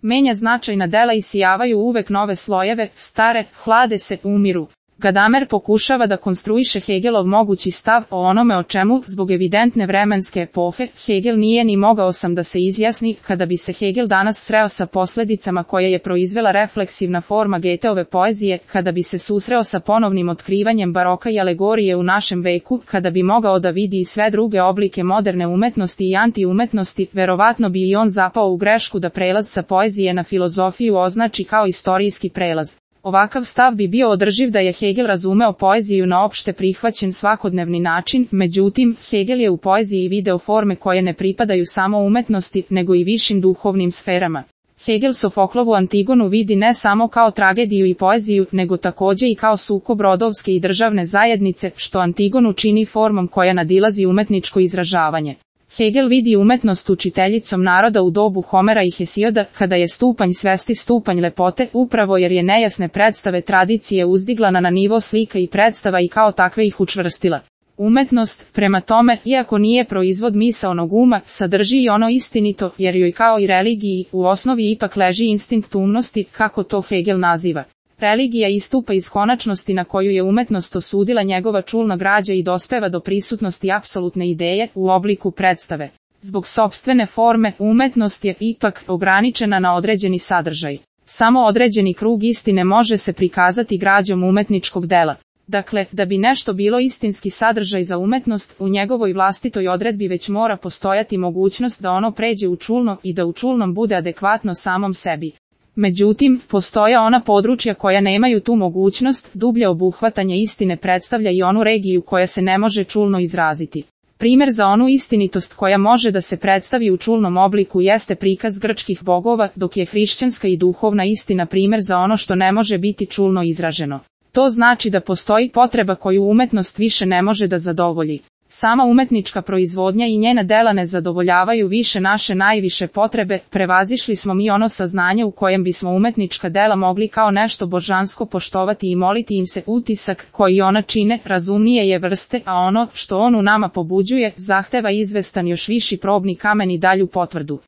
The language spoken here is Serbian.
Menja značajna dela isijavaju uvek nove slojeve, stare, hlade se, umiru. Gadamer pokušava da konstruiše Hegelov mogući stav o onome o čemu, zbog evidentne vremenske epohe, Hegel nije ni mogao sam da se izjasni. Kada bi se Hegel danas sreo sa posledicama koje je proizvela refleksivna forma Goetheove poezije, kada bi se susreo sa ponovnim otkrivanjem baroka i alegorije u našem veku, kada bi mogao da vidi i sve druge oblike moderne umetnosti i antiumetnosti, verovatno bi i on zapao u grešku da prelaz sa poezije na filozofiju označi kao istorijski prelaz. Ovakav stav bi bio održiv da je Hegel razumeo poeziju na opšte prihvaćen svakodnevni način, međutim, Hegel je u poeziji video forme koje ne pripadaju samo umetnosti, nego i višim duhovnim sferama. Hegel Sofoklovu Antigonu vidi ne samo kao tragediju i poeziju, nego takođe i kao sukob rodovske i državne zajednice, što Antigonu čini formom koja nadilazi umetničko izražavanje. Hegel vidi umetnost učiteljicom naroda u dobu Homera i Hesioda, kada je stupanj svesti stupanj lepote, upravo jer je nejasne predstave tradicije uzdigla na nivo slika i predstava i kao takve ih učvrstila. Umetnost, prema tome, iako nije proizvod misaonog uma, sadrži i ono istinito, jer joj kao i religiji, u osnovi ipak leži instinkt umnosti, kako to Hegel naziva. Religija istupa iz konačnosti na koju je umetnost osudila njegova čulna građa i dospeva do prisutnosti apsolutne ideje u obliku predstave. Zbog sopstvene forme, umetnost je ipak ograničena na određeni sadržaj. Samo određeni krug istine može se prikazati građom umetničkog dela. Dakle, da bi nešto bilo istinski sadržaj za umetnost, u njegovoj vlastitoj odredbi već mora postojati mogućnost da ono pređe u čulno i da u čulnom bude adekvatno samom sebi. Međutim, postoje ona područja koja nemaju tu mogućnost, dublje obuhvatanje istine predstavlja i onu regiju koja se ne može čulno izraziti. Primer za onu istinitost koja može da se predstavi u čulnom obliku jeste prikaz grčkih bogova, dok je hrišćanska i duhovna istina primer za ono što ne može biti čulno izraženo. To znači da postoji potreba koju umetnost više ne može da zadovolji. Sama umetnička proizvodnja i njena dela ne zadovoljavaju više naše najviše potrebe, prevazišli smo mi ono saznanje u kojem bismo umetnička dela mogli kao nešto božansko poštovati i moliti im se. Utisak koji ona čine razumnije je vrste, a ono što on u nama pobuđuje zahteva izvestan još viši probni kamen i dalju potvrdu.